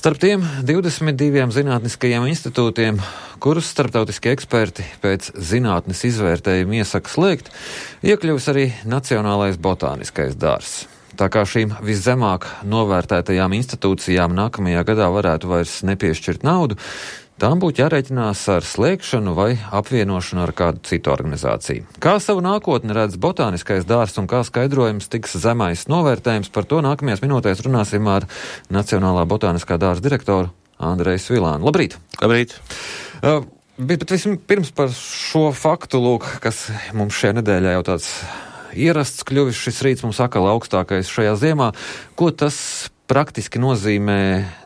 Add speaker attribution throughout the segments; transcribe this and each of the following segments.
Speaker 1: Starp tiem 22 zinātniskajiem institūtiem, kurus starptautiskie eksperti pēc zinātnes izvērtējuma iesaka slēgt, iekļuvis arī Nacionālais botāniskais dārzs. Tā kā šīm viszemāk novērtētajām institūcijām nākamajā gadā varētu vairs nepiešķirt naudu, tām būtu jārēķinās ar slēgšanu vai apvienošanu ar kādu citu organizāciju. Kā savu nākotni redz botāniskais dārzs un kā skaidrojums tiks zemais novērtējums, par to nākamajās minūtēs runāsim ar Nacionālā botāniskā dārza direktoru Andreju Svilānu. Labrīt!
Speaker 2: Labrīt!
Speaker 1: Bet vispirms par šo faktu, lūk, kas mums šajā nedēļā jau tāds ierasts kļuvis, šis rīts mums atkal augstākais šajā ziemā. Ko tas praktiski nozīmē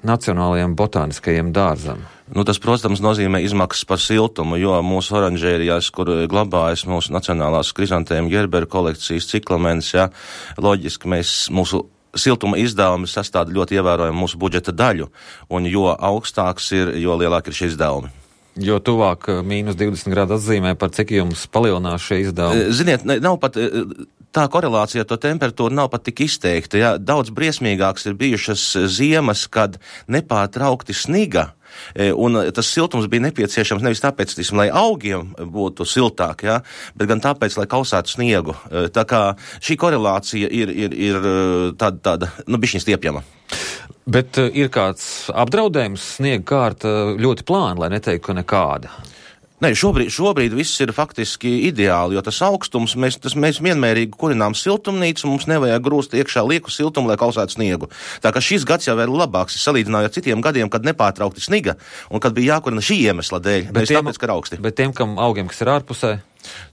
Speaker 1: Nacionālajiem botāniskajiem dārzam?
Speaker 2: Tas, protams, nozīmē izmaksas par siltumu, jo mūsu oranžērijās, kur glabājas mūsu nacionālās krizantēma Gerberu kolekcijas ciklamens, loģiski mūsu siltuma izdevumi sastāda ļoti ievērojumu mūsu budžeta daļu, un jo augstāks ir, jo lielāk ir šie izdevumi.
Speaker 1: Jo tuvāk -20 grādu atzīmē, par cik jums palielinās šie izdevumi?
Speaker 2: Ziniet, nav pat tā korelācija ar to temperatūru nav pat tik izteikta. Jā. Daudz briesmīgāks ir bijušas ziemas, kad nepārtraukti sniga, un tas siltums bija nepieciešams nevis tāpēc, lai augiem būtu siltāk, jā, bet gan tāpēc, lai kausētu sniegu. Tā kā šī korelācija ir tāda bišķiņ stiepjama.
Speaker 1: Bet ir kāds apdraudējums, sniega kārta ļoti plāna, lai neteiktu, ka nekāda?
Speaker 2: Nē, šobrīd viss ir faktiski ideāli, jo tas augstums, mēs vienmērīgi kurinām siltumnīcu, un mums nevajag grūst iekšā lieku siltumu, lai kausētu sniegu. Tā kā šis gads jau ir labāks, salīdzinājot ar citiem gadiem, kad nepārtraukti sniga, un kad bija jākurina šī iemesla dēļ, nevis tāpēc, ka ir augsti.
Speaker 1: Bet tiem augiem, kas ir ārpusē?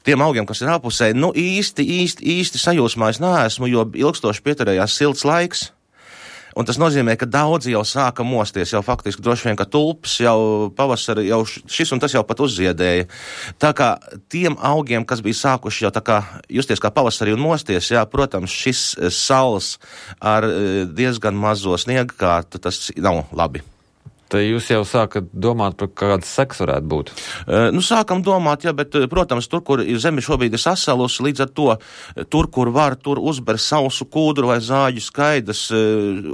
Speaker 2: Tiem augiem, kas ir ārpusē, īsti sajūsmā es neesmu, jo ilgstoši pieturējās silts laiks. Un tas nozīmē, ka daudzi jau sāka mosties, jau faktiski droši vien, ka tulpes jau pavasari, jau šis un tas jau pat uzziedēja. Tā kā tiem augiem, kas bija sākuši jau tā kā justies kā pavasarī un mosties, protams, šis saules ar diezgan mazo sniega kārtu, tas nav labi.
Speaker 1: Tad jūs jau sākat domāt, par kādas sekas varētu būt?
Speaker 2: Sākam domāt, bet, protams, tur, kur zeme šobrīd ir sasalusi, līdz ar to, tur, kur var, tur uzber sausu kūdru vai zāģu skaidas,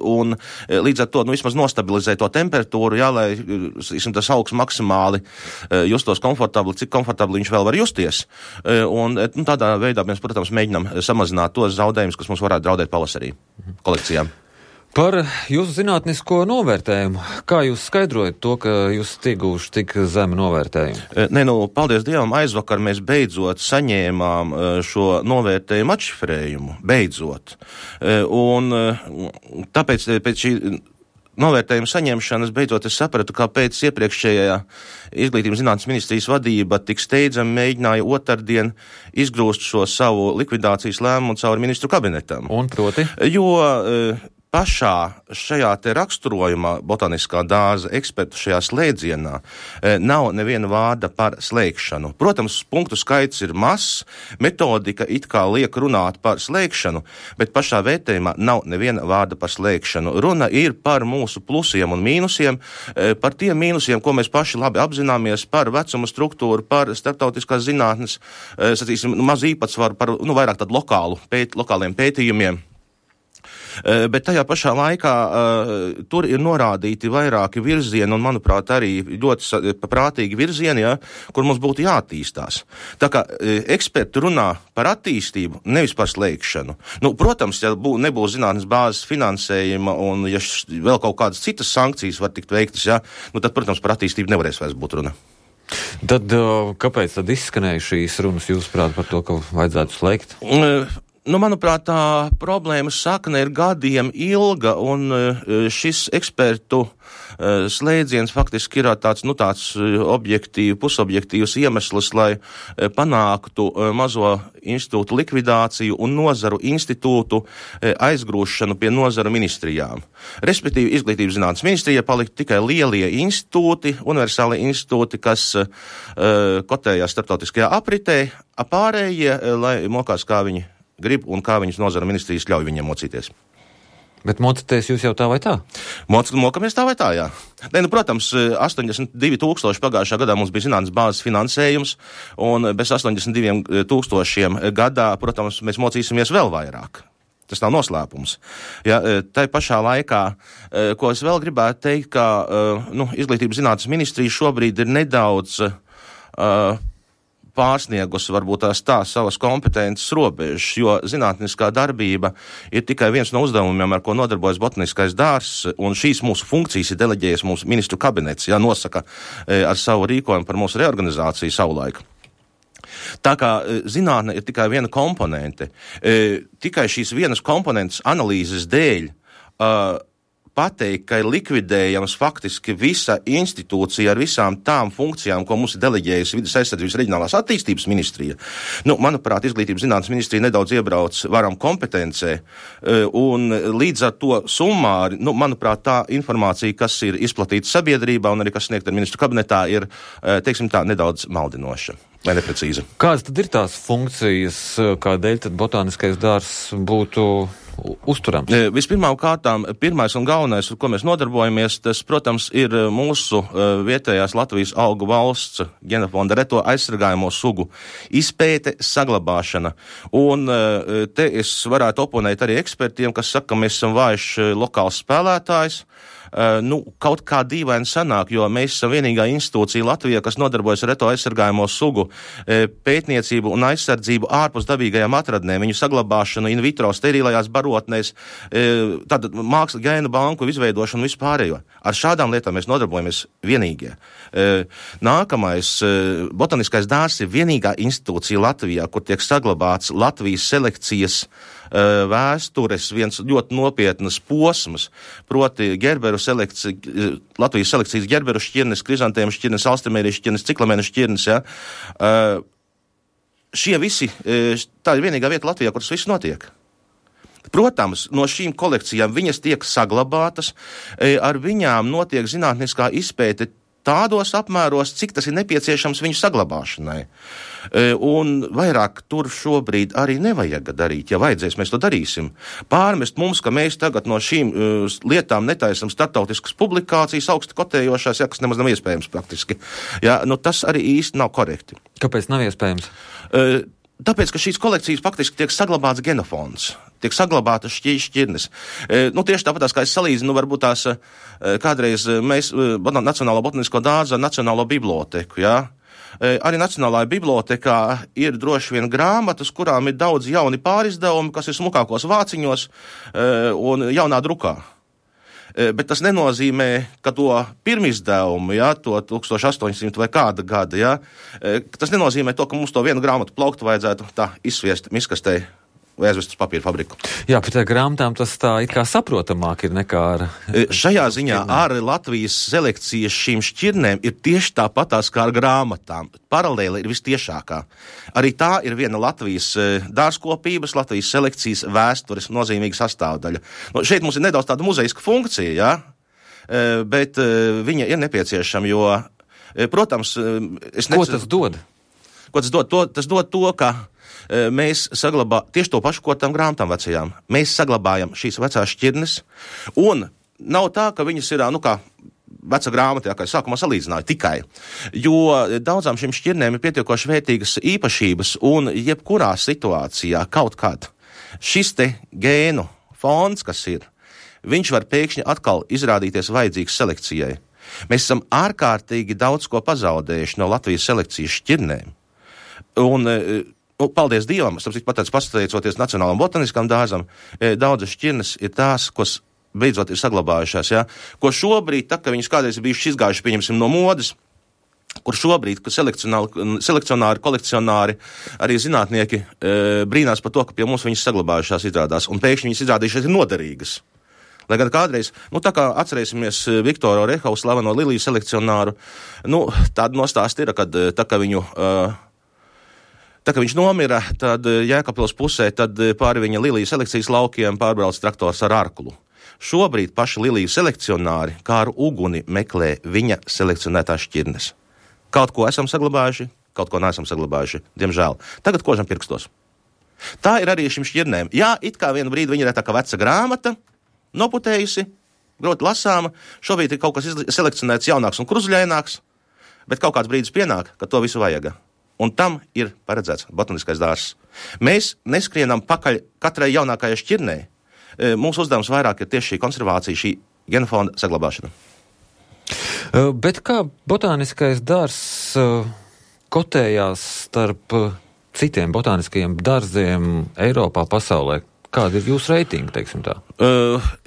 Speaker 2: un līdz ar to, vismaz nostabilizē to temperatūru, lai, tas augs maksimāli justos komfortabli, cik komfortabli viņš vēl var justies. Un tādā veidā mēs, protams, mēģinām samazināt tos zaudējumus, kas mums varētu draudēt pavasarī kolekcijām.
Speaker 1: Par jūsu zinātnisko novērtējumu. Kā jūs skaidrojat to, ka jūs ieguvuši tik zemu novērtējumu?
Speaker 2: Paldies Dievam, aizvakar mēs beidzot saņēmām šo novērtējumu atšifrējumu. Beidzot. Un tāpēc pēc šī novērtējuma saņemšanas beidzot es sapratu, kāpēc iepriekšējā Izglītības zinātnes ministrijas vadība tik steidzami mēģināja otrdien izgrūst šo savu likvidācijas lēmumu cauri ministru kabinetam.
Speaker 1: Un proti?
Speaker 2: Jo pašā šajā te raksturojumā botāniskā dārza ekspertu šajā slēdzienā nav neviena vārda par slēgšanu. Protams, punktu skaits ir mazs, metodika it kā liek runāt par slēgšanu, bet pašā vērtējumā nav neviena vārda par slēgšanu. Runa ir par mūsu plusiem un mīnusiem, par tiem mīnusiem, ko mēs paši labi apzināmies, par vecuma struktūru, par starptautiskās zinātnes, mazu īpatsvaru, par vairāk tādu lokāliem pētījumiem. Bet tajā pašā laikā tur ir norādīti vairāki virzieni un, manuprāt, arī ļoti prātīgi virzieni, kur mums būtu jāattīstās. Tā kā eksperti runā par attīstību, nevis par slēgšanu. Protams, ja nebūs zinātnes bāzes finansējuma un ja vēl kaut kādas citas sankcijas var tikt veiktas, tad, protams, par attīstību nevarēs vairs būt runa.
Speaker 1: Tad kāpēc tad izskanēja šīs runas, jūsuprāt, par to, ka vajadzētu slēgt?
Speaker 2: Manuprāt, tā problēmas sakne ir gadiem ilga, un šis ekspertu slēdziens faktiski ir tāds pusobjektīvs iemesls, lai panāktu mazo institūtu likvidāciju un nozaru institūtu aizgrūšanu pie nozaru ministrijām. Respektīvi, Izglītības zinātnes ministrija paliktu tikai lielie institūti, universālie institūti, kas kotējās starptautiskajā apritē, pārējie, lai mokās, kā viņi grib un kā viņas nozara ministrijas ļauj viņiem mocīties.
Speaker 1: Bet mocīties jūs jau tā vai tā?
Speaker 2: Mokamies tā vai tā, jā. Protams, 82,000 pagājušā gadā mums bija zinātnes bāzes finansējums, un bez 82,000 gadā, protams, mēs mocīsimies vēl vairāk. Tas nav noslēpums. Ja, tai pašā laikā, ko es vēl gribētu teikt, ka Izglītības zinātnes ministrija šobrīd ir nedaudz pārsniegusi varbūt tās savas kompetences robežas, jo zinātniskā darbība ir tikai viens no uzdevumiem, ar ko nodarbojas botaniskais dārzs, un šīs mūsu funkcijas ir deleģējis mūsu ministru kabinets, nosaka ar savu rīkojumu par mūsu reorganizāciju savulaik. Tā kā zinātne ir tikai viena komponente, tikai šīs vienas komponentes analīzes dēļ pateikt, ka ir likvidējams faktiski visa institūcija ar visām tām funkcijām, ko mums ir deleģējusi Vides aizsardzības reģionālās attīstības ministrija. Manuprāt, Izglītības zinātnes ministrija nedaudz iebrauc varam kompetencē, un līdz ar to summāri, manuprāt, tā informācija, kas ir izplatīta sabiedrībā un arī kas sniegta ministru kabinetā, ir, teiksim tā, nedaudz maldinoša. Vai neprecīzi?
Speaker 1: Kādas tad ir tās funkcijas, kādēļ tad botāniskais dārzs būtu uzturams?
Speaker 2: Vispirmām kārtām, pirmais un galvenais, ar ko mēs nodarbojamies, tas, protams, ir mūsu vietējās Latvijas augu valsts genofonda reto aizsargājamo sugu izpēte, saglabāšana. Un te es varētu oponēt arī ekspertiem, kas saka, ka mēs esam vājš lokāls spēlētājs. Kaut kā dīvaini sanāk, jo mēs esam vienīgā institūcija Latvijā, kas nodarbojas ar reto aizsargājamo sugu pētniecību un aizsardzību ārpus dabīgajām atradnēm, viņu saglabāšanu in vitro sterilajās barotnēs, tātad mākslas gēnu banku izveidošanu un vispārējo. Ar šādām lietām mēs nodarbojamies vienīgie. Nākamais, botaniskais dārzs ir vienīgā institūcija Latvijā, kur tiek saglabāts Latvijas selekcijas vēstures viens ļoti nopietnas posms, proti gerberu selekcija, Latvijas selekcijas gerberu šķirnes, krizantēmu šķirnes, alstemērijas šķirnes, ciklamēnu šķirnes, Šie visi, tā ir vienīgā vieta Latvijā, kur tas viss notiek. Protams, no šīm kolekcijām viņas tiek saglabātas, ar viņām notiek zinātniskā izpēte tādos apmēros, cik tas ir nepieciešams viņu saglabāšanai. Un vairāk tur šobrīd arī nevajag darīt. Ja vajadzēs, mēs to darīsim. Pārmest mums, ka mēs tagad no šīm lietām netaisam starptautiskas publikācijas, augsti kotējošās, kas nemaz nav iespējams praktiski. Tas arī īsti nav korekti.
Speaker 1: Kāpēc nav iespējams?
Speaker 2: Tāpēc, ka šīs kolekcijas faktiski tiek saglabāts genofons, tiek saglabātas šķirnes. Tieši tāpatās, kā es salīdzinu, varbūt tās kādreiz mēs Nacionālo botanisko dārzu ar Nacionālo biblioteku, Arī Nacionālajā bibliotekā ir droši vien grāmatas, kurām ir daudz jauni pārizdevumi, kas ir smukākos vāciņos un jaunā drukā. Bet tas nenozīmē, ka to pirmizdevumu, to 1800 vai kāda gada, tas nenozīmē to, ka mums to vienu grāmatu plauktu vajadzētu tā izsviest miskastē vai aizvest uz papīra fabriku.
Speaker 1: Jā, bet ar grāmatām tas tā it kā saprotamāk ir nekā ar...
Speaker 2: Šajā ziņā ar Latvijas selekcijas šīm šķirnēm ir tieši tāpatās kā ar grāmatām. Paralēli ir vistiešākā. Arī tā ir viena Latvijas dārzkopības, Latvijas selekcijas vēstures nozīmīga sastāvdaļa. Šeit mums ir nedaudz tāda muzeiska funkcija, bet viņa ir nepieciešama, jo, protams,
Speaker 1: Ko tas dod?
Speaker 2: Ko tas dod? Tas dod to, ka mēs saglabājam tieši to pašu, ko tām grāmatām vecajām. Mēs saglabājam šīs vecās šķirnes, un nav tā, ka viņas ir, kā veca grāmatā, kā es sākumā salīdzināju, tikai. Jo daudzām šīm šķirnēm ir pietiekoši vērtīgas īpašības, un jebkurā situācijā kaut kad šis te gēnu fonds, kas ir, viņš var pēkšņi atkal izrādīties vajadzīgs selekcijai. Mēs esam ārkārtīgi daudz ko pazaudējuši no Latvijas selekcijas šķirnēm. Un paldies Dievam, pateicoties Nacionālam botaniskam dārzam, daudzas šķirnes ir tās, kas beidzot ir saglabājušās, ko šobrīd, ka viņas kādreiz ir bijušas izgājuši, pieņemsim, no modes, kur šobrīd, ka selekcionāri, kolekcionāri, arī zinātnieki brīnās par to, ka pie mums viņas saglabājušās izrādās, un pēkšņi viņas izrādījušās ir noderīgas. Lai gan kādreiz, tā kā atcerēsimies Viktoru Orehavu, slaveno liliju selekcionāru, tāda nostāsta ir, kad tā kā viņu... Tā kā viņš nomira, tad Jēkabpils pusē, tad pāri viņa liliju selekcijas laukiem pārbrauc traktors ar arklu. Šobrīd paši liliju selekcionāri kā ar uguni meklē viņa selekcionētās šķirnes. Kaut ko esam saglabājuši, kaut ko neesam saglabājuši, diemžēl. Tagad kožam pirkstos. Tā ir arī šim šķirnēm. Jā, it kā vienu brīdi viņa ir tā kā veca grāmata, noputējusi, groti lasāma, šobrīd ir kaut kas selekcionēts jaunāks un kruzļaināks, bet kaut kāds brīdis pienāk, ka to visu vajag. Un tam ir paredzēts botaniskais dārzs. Mēs neskrienam pakaļ katrai jaunākajai šķirnei. Mūsu uzdevums vairāk ir tieši šī konservācija, šī genofonda saglabāšana.
Speaker 1: Bet kā botāniskais dārzs kotējās starp citiem botāniskajiem dārziem Eiropā, pasaulē? Kāda ir jūsu reitingi, teiksim tā?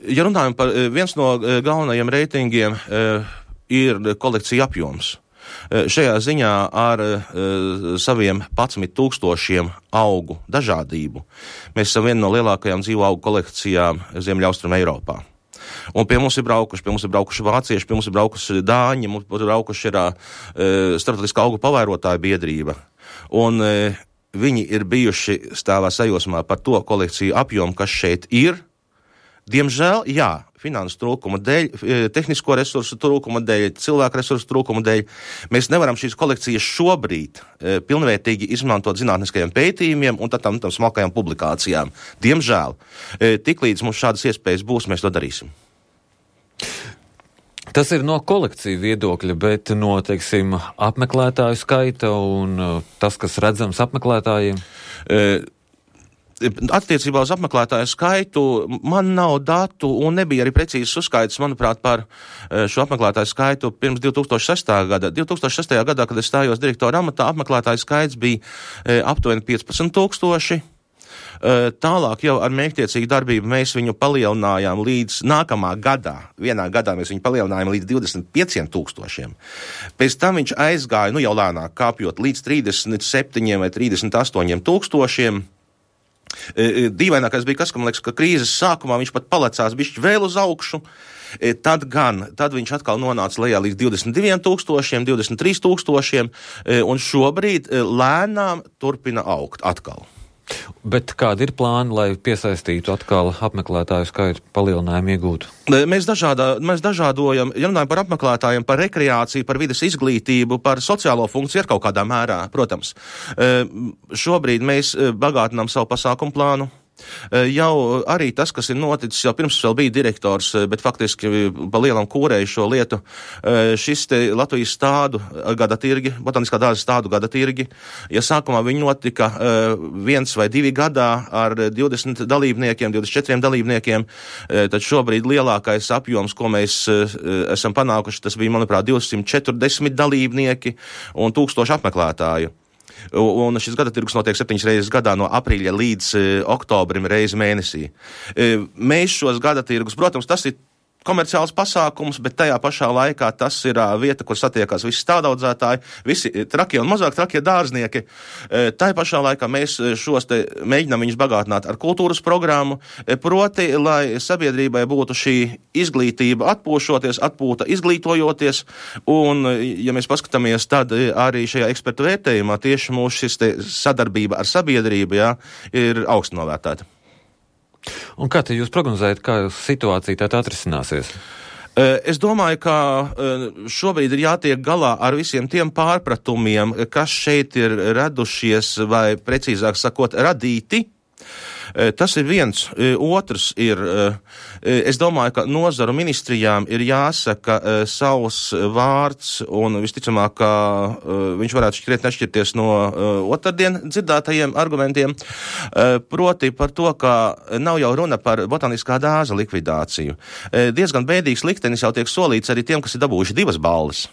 Speaker 2: Ja runājam par viens no galvenajiem reitingiem ir kolekcija apjoms. Šajā ziņā ar saviem 11,000 augu dažādību mēs esam viena no lielākajām dzīvo augu kolekcijām Ziemeļaustrum Eiropā. Un pie mums ir braukuši vācieši, pie mums ir braukuši dāņi, mums ir braukuši starptautiskā augu pavērotāja biedrība. Un viņi ir bijuši stāvā sajūsmā par to kolekciju apjomu, kas šeit ir. Diemžēl, jā, finansu trūkuma dēļ, tehnisko resursu trūkuma dēļ, cilvēku resursu trūkuma dēļ, mēs nevaram šīs kolekcijas šobrīd pilnvērtīgi izmantot zinātniskajiem pētījumiem un tam smalkajām publikācijām. Diemžēl, tiklīdz mums šādas iespējas būs, mēs to darīsim.
Speaker 1: Tas ir no kolekciju viedokļa, bet no, teiksim, apmeklētāju skaita un tas, kas redzams apmeklētājiem?
Speaker 2: Attiecībā uz apmeklētāju skaitu man nav datu un nebija arī precīzes uzskaits, manuprāt, par šo apmeklētāju skaitu pirms 2006. gada. 2006. gadā, kad es stājos direktora amatā, apmeklētāju skaits bija aptuveni 15,000. Tālāk jau ar mērķtiecīgu darbību mēs viņu palielinājām līdz nākamā gadā. Vienā gadā mēs viņu palielinājām līdz 25,000. Pēc tam viņš aizgāja, jau lēnāk kāpjot, līdz 37 vai 38,000. Dīvainākais bija kas, ka man liekas, ka krīzes sākumā viņš pat palecās bišķi vēl uz augšu, tad viņš atkal nonāca lejā līdz 22,000, 23,000, un šobrīd lēnām turpina augt atkal.
Speaker 1: Bet kādi ir plāni, lai piesaistītu atkal apmeklētāju skaitu palielinājumu iegūtu?
Speaker 2: Mēs dažādojam, ja runājam par apmeklētājiem, par rekreāciju, par vides izglītību, par sociālo funkciju ar kaut kādā mērā, protams. Šobrīd mēs bagātinām savu pasākumu plānu. Jau arī tas, kas ir noticis, jau pirms vēl bija direktors, bet faktiski pa lielam kūrēju šo lietu, šis te Latvijas stādu gada tirgi, botaniskā dārza stādu gada tirgi, ja sākumā viņi notika 1 vai 2 gadā ar 20 dalībniekiem, 24 dalībniekiem, tad šobrīd lielākais apjoms, ko mēs esam panākuši, tas bija, manuprāt, 240 dalībnieki un 1000 apmeklētāju. Un šis gada tirgus notiek 7 reizes gadā no aprīļa līdz oktobrim reizi mēnesī. Mēs šos gada tirgus, protams, tas ir komerciāls pasākums, bet tajā pašā laikā tas ir vieta, kur satiekās visi stādaudzētāji, visi trakie un mazāk trakie dārznieki. Tajā pašā laikā mēs šos te mēģinām viņus bagātināt ar kultūras programmu, proti, lai sabiedrībai būtu šī izglītība atpūšoties, atpūta izglītojoties, un, ja mēs paskatāmies, tad arī šajā ekspertu vērtējumā tieši mūsu šis te sadarbība ar sabiedrību, ir augstu novērtēta.
Speaker 1: Un kā te jūs prognozējat, kā situācija tā atrisināsies?
Speaker 2: Es domāju, ka šobrīd ir jātiek galā ar visiem tiem pārpratumiem, kas šeit ir radušies, vai precīzāk sakot, radīti. Tas ir viens. Otrs ir, es domāju, ka nozaru ministrijām ir jāsaka savs vārds, un visticamāk, ka viņš varētu šķiet nešķirties no otrdien dzirdētajiem argumentiem, proti par to, ka nav jau runa par botaniskā dārza likvidāciju. Diezgan bēdīgs liktenis jau tiek solīts arī tiem, kas ir dabūjuši 2 balvas.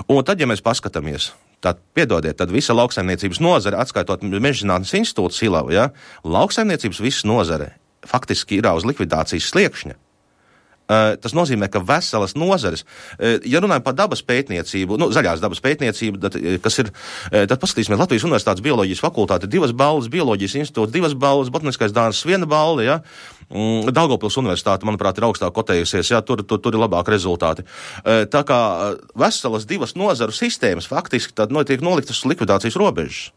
Speaker 2: Un tad, ja mēs paskatāmies, tad visa lauksaimniecības nozare, atskaitot Mežzinātnes institūtu Silavu, lauksaimniecības visa nozare faktiski ir uz likvidācijas sliekšņa. Tas nozīmē, ka veselas nozares, ja runājam par dabas pētniecību, zaļās dabas pētniecību, tad paskatīsimies Latvijas Universitātes bioloģijas fakultāte 2 balvas, bioloģijas institūta 2 balvas, botaniskais dārzs 1 balva, Daugavpils Universitāte, manuprāt, ir augstāk kotējusies, tur ir labāki rezultāti. Tā kā veselas 2 nozaru sistēmas faktiski tad tiek noliktas likvidācijas robežas.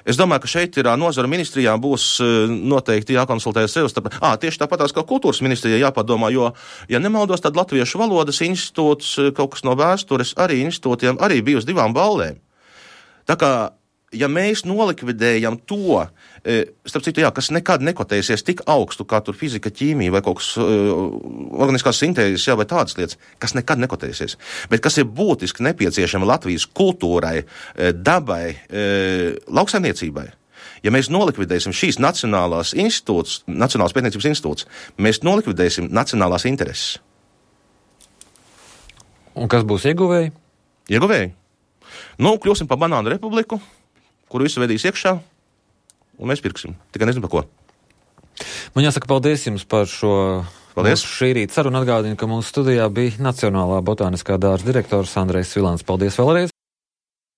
Speaker 2: Es domāju, ka šeit ir nozaru ministrijām būs noteikti jākonsultējas sev starp. Tieši tāpatās, kā kultūras ministrijai jāpadomā, jo, ja nemaldos, tad Latviešu valodas institūts, kaut kas no vēstures, arī institūtiem arī bija uz 2 balvēm. Tā kā ja mēs nolikvidējam to, starp citu, jā, kas nekad nekotēsies tik augstu, kā tur fizika, ķīmija vai kaut kas organiskās sintēzes, jā, vai tādas lietas, kas nekad nekotēsies, bet kas ir būtiski nepieciešama Latvijas kultūrai, dabai, lauksaimniecībai. Ja mēs nolikvidēsim šīs nacionālās pētniecības institūts, mēs nolikvidēsim nacionālās intereses.
Speaker 1: Un kas būs ieguvēji?
Speaker 2: Ieguvēji. Kļūsim par banānu republiku, kuru visu vedīs iekšā, un mēs pirksim. Tikai nezinu par ko.
Speaker 1: Man jāsaka paldies jums par šo šī rīta sarunu. Atgādinu, ka mūsu studijā bija Nacionālā botāniskā dārza direktors Andrejs Svilāns. Paldies vēlreiz!